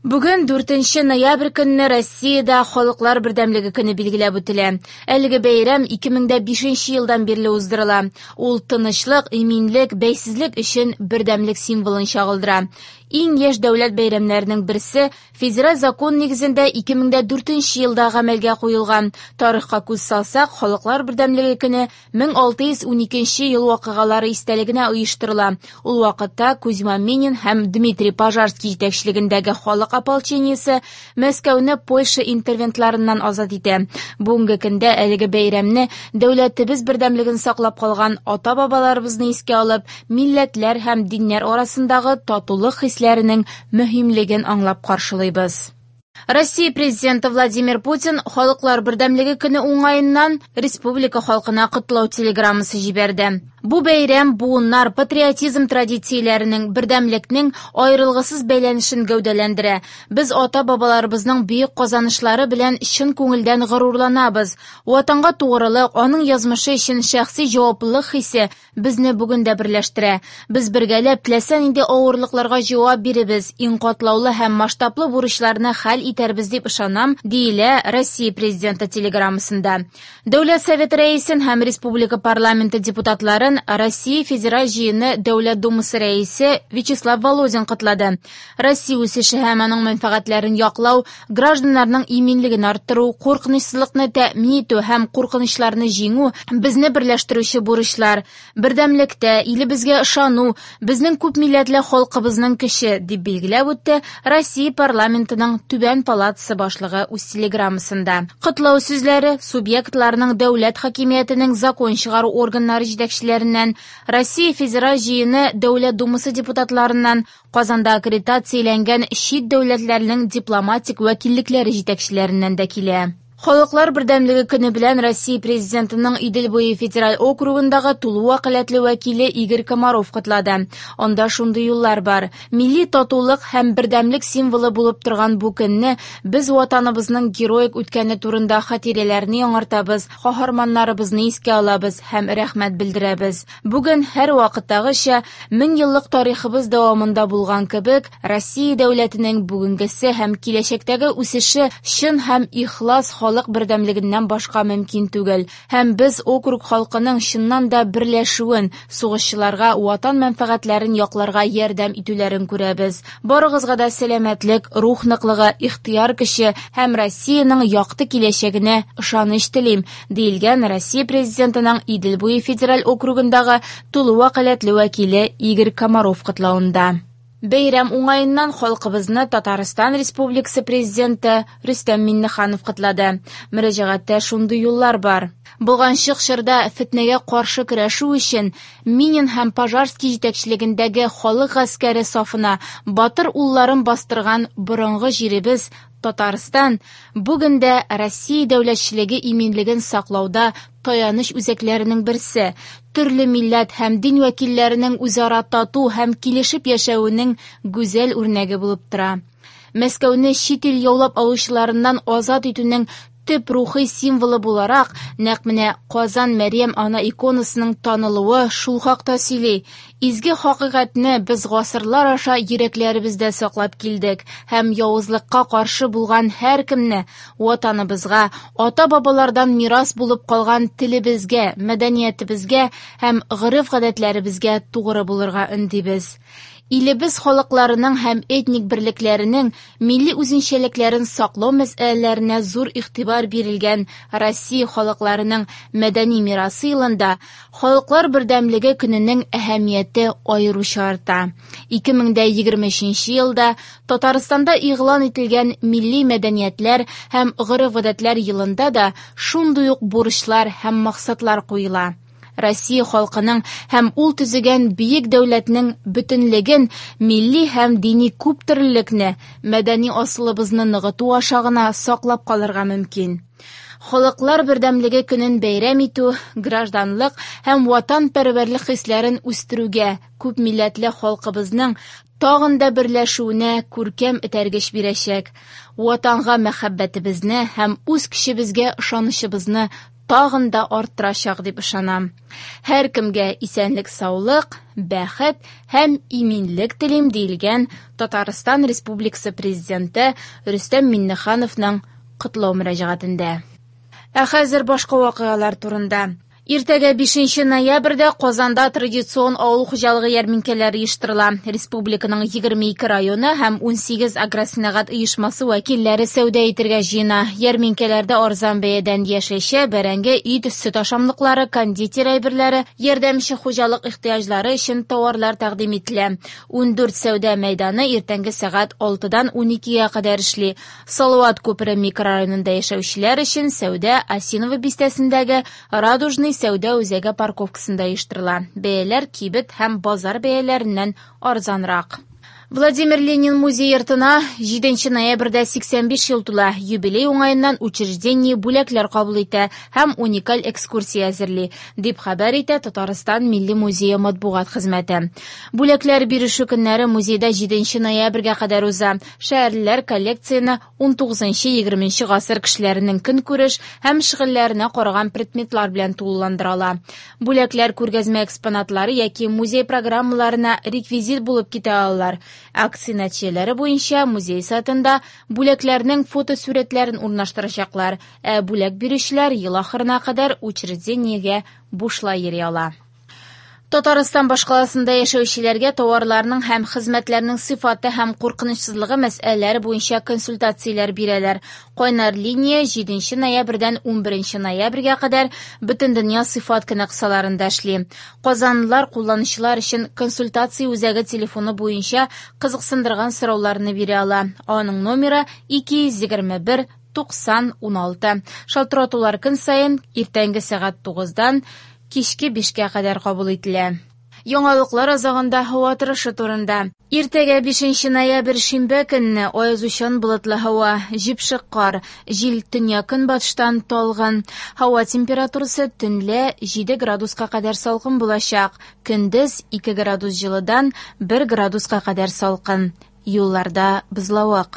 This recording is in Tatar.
Бүген 4 ноябрь көнне Россиядә Халыклар бердәмлеге көне билгеләп үтелә. Әлеге бәйрәм 2005 елдан бирле уздырыла. Ул тынычлык, иминлек, бәйсезлек өчен бердәмлек символын чагылдыра. Иң яшь дәүләт бәйрәмнәренең берсе федераль закон нигезендә 2004 елда гамәлгә куелган. Тарихка күз салсак, Халыклар бердәмлеге көне 1612 ел вакыйгалары истәлегенә оештырыла. Ул вакытта Кузьма Минин һәм Дмитрий Пожарский җитәкчелегендәге халык ополчениесе Мәскәүне Польша интервентларыннан азат итә. Бүгенге көндә әлеге бәйрәмне дәүләтебез бердәмлеген саклап калган ата-бабаларыбызны искә алып, милләтләр һәм диннәр арасындагы татулык хисләренең мөһимлеген аңлап каршылыйбыз. Россия президенты Владимир Путин Халыклар бердәмлеге көне уңаеннан республика халкына котлау телеграммасы җибәрде. Бу бәйрәм буыннар патриотизм традицияләренең, бердәмлекнең аерылгысыз бәйләнешен гәүдәләндерә. Без ата-бабаларыбызның бөек казанышлары белән чын күңелдән горурланабыз. Ватанга тугрылык, аның язмышы өчен шәхси җаваплылык хисе безне бүген дә берләштерә. Без бергәләп теләсә нинди авырлыкларга җавап биребез, иң катлаулы һәм масштаблы бурычларны хәл итәрбез дип ышанам, диелә Россия президенты телеграммасында. Дәүләт Советы рәисен һәм республика парламенты депутатларын Россия Федераль Җыены Дәүләт Думасы рәисе Вячеслав Володин котлады. Россия үсеше һәм аның мәнфәгатьләрен яклау, гражданнарның иминлеген арттыру, куркынычсызлыкны тәэмин итү һәм куркынычларны җиңү безне берләштерүче бурычлар. Бердәмлектә, илебезгә ышану, безнең күпмилләтле халкыбызның көче, дип билгеләп үтте Россия парламентының Түбән палатасы башлыгы үз телеграммасында. Котлау сүзләре субъектларның дәүләт хакимиятенең закон чыгару органнары җитәкчеләреннән, Россия Федераль Җыены Дәүләт Думасы депутатларыннан, Казанда аккредитацияләнгән чит дәүләтләрнең дипломатик вәкиллекләре җитәкчеләреннән дә килә. Халыклар бердәмлеге көне белән Россия президентының Идел буе федераль округындагы тулы вәкаләтле вәкиле Игорь Комаров котлады. Анда шундый юллар бар. Милли татулык һәм бердәмлек символы булып торган бу көнне без ватаныбызның героик үткәне турында хатирәләрне яңартабыз, каһарманнарыбызны искә алабыз һәм рәхмәт белдерәбез. Бүген һәр вакыттагыча мең еллык тарихыбыз дәвамында булган кебек, Россия дәүләтенең бүгенгесе һәм киләчәктәге үсеше чын һәм ихлас халык бердәмлегеннән башка мөмкин түгел. Һәм без округ халкының чыннан да берләшүен, сугышчыларга ватан мәнфәгатьләрен якларга ярдәм итүләрен күрәбез. Барыгызга да сәламәтлек, рух ныклыгы, ихтыяр көче һәм Россиянең якты киләчәгенә ышаныч телим, диелгән Россия президентының Идел буе федераль округындагы тулы вәкаләтле вәкиле Игорь Комаров котлавында. Бәйрәм уңаеннан халкыбызны Татарстан Республикасы президенты Рөстәм Миңнеханов котлады. Мөрәҗәгатьтә шундый юллар бар. Болганчык чорда фетнәгә каршы көрәшү өчен Минин һәм Пожарский җитәкчелегендәге халык гаскәре сафына батыр улларын бастырган борынгы җиребез Татарстан бүген дә Россия дәүләтчелеге иминлеген саклауда таяныч үзәкләренең берсе, төрле милләт һәм дин вәкилләренең үзара тату һәм килешеп яшәвенең гүзәл үрнәге булып тора. Мәскәүне чит ил яулап алучыларыннан азат итүнең төп рухи символы буларак, нәкъ менә Казан Мәрьям ана иконасының танылуы шул хакта сөйли. Изге хакыйкатьне без гасырлар аша йөрәкләребездә саклап килдек һәм явызлыкка каршы булган һәркемне ватаныбызга, ата-бабалардан мирас булып калган телебезгә, мәдәниятебезгә һәм гореф-гадәтләребезгә тугры булырга өндибез. Илебез халыкларының һәм этник берлекләренең милли үзенчәлекләрен саклау мәсьәләләренә зур игътибар бирелгән Россия халыкларының мәдәни мирасы елында Халыклар бердәмлеге көненең әһәмияте аеруча арта. 2023 елда Татарстанда игълан ителгән Милли мәдәниятләр һәм гореф-гадәтләр елында да шундый ук бурычлар һәм максатлар куела. Россия халкының һәм ул төзегән бөек дәүләтнең бөтенлеген, милли һәм дини күптөрлелекне, мәдәни асылыбызны ныгыту аша гына саклап калырга мөмкин. Халыклар бердәмлеге көнен бәйрәм итү гражданлык һәм ватанпәрвәрлек хисләрен үстерүгә, күпмилләтле халкыбызның тагын да берләшүенә күркәм этәргеч бирәчәк. Ватанга мәхәббәтебезне һәм үз көчебезгә ышанычыбызны тагын да арттырачак дип ышанам. Һәркемгә исәнлек-саулык, бәхет һәм иминлек телим, диелгән Татарстан Республикасы Президенты Рөстәм Миңнехановның котлау мөрәҗәгатендә. Ә хәзер башка вакыйгалар турында. Иртәгә 5 ноябрьдә Казанда традицион авыл хуҗалыгы ярминкәләре оештырыла. Республиканың 22 районы һәм 18 агросәнәгать оешмасы вәкилләре сәүдә итәргә җыена. Ярминкәләрдә арзан бәядән яшелчә, бәрәңге, ит, сөт ашамлыклары, кондитер әйберләре, ярдәмче хуҗалык ихтыяҗлары өчен товарлар тәкъдим ителә. 14 сәүдә мәйданы иртәнге сәгать 6-дан 12-гә кадәр эшли. Салават күпере микрорайонында яшәүчеләр өчен сәүдә Осиново бистәсендәге Радужный сәүдә үзәге парковкасында оештырыла. Бәяләр кибет һәм базар бәяләреннән арзанрак. Владимир Ленин музей йортына 7 ноябрьдә 85 ел тула. Юбилей уңаеннан учреждение бүләкләр кабул итә һәм уникаль экскурсия әзерли, дип хәбәр итә Татарстан Милли музее матбугат хезмәте. Бүләкләр бирешү көннәре музейда 7 ноябрьгә кадәр уза. Шәһәрлеләр коллекцияне 19-20 гасыр кешеләренең көнкүреш һәм шөгыльләренә караган предметлар белән тулыландыра ала. Бүләкләр күргәзмә экспонатлары яки музей программаларына реквизит булып китә алалар. Акция нәтиҗәләре буенча музей сайтында бүләкләрнең фотосурәтләрен урнаштырачаклар, ә бүләк бирүчеләр ел ахырына кадәр учреждениегә бушлай йөри ала. Татарстан башкаласында яшәүчеләргә товарларның һәм хезмәтләрнең сыйфаты һәм куркынычсызлыгы мәсьәләләре буенча консультацияләр бирәләр. Кайнар линия 7 ноябрьдән 11 ноябрьгә кадәр Бөтендөнья сыйфат көне кысаларында эшли. Казанлылар кулланучылар өчен консультация үзәге телефоны буенча кызыксындырган сорауларны бирә ала. Аның номеры 221 90 16. Шалтыратулар көн саен иртәнге сәгать 9-дан кичке 5-кә кадәр кабул ителә. Яңалыклар азагында һава торышы турында. Иртәгә 5 ноябрь шимбә көнне аязучан болытлы һава, җепшек кар, җил төньяк-көнбатыштан талгын. Һава температурасы төнлә 7 градуска кадәр салкын булачак. Көндез 2 градус җылыдан 1 градуска кадәр салкын. Юлларда бозлавык.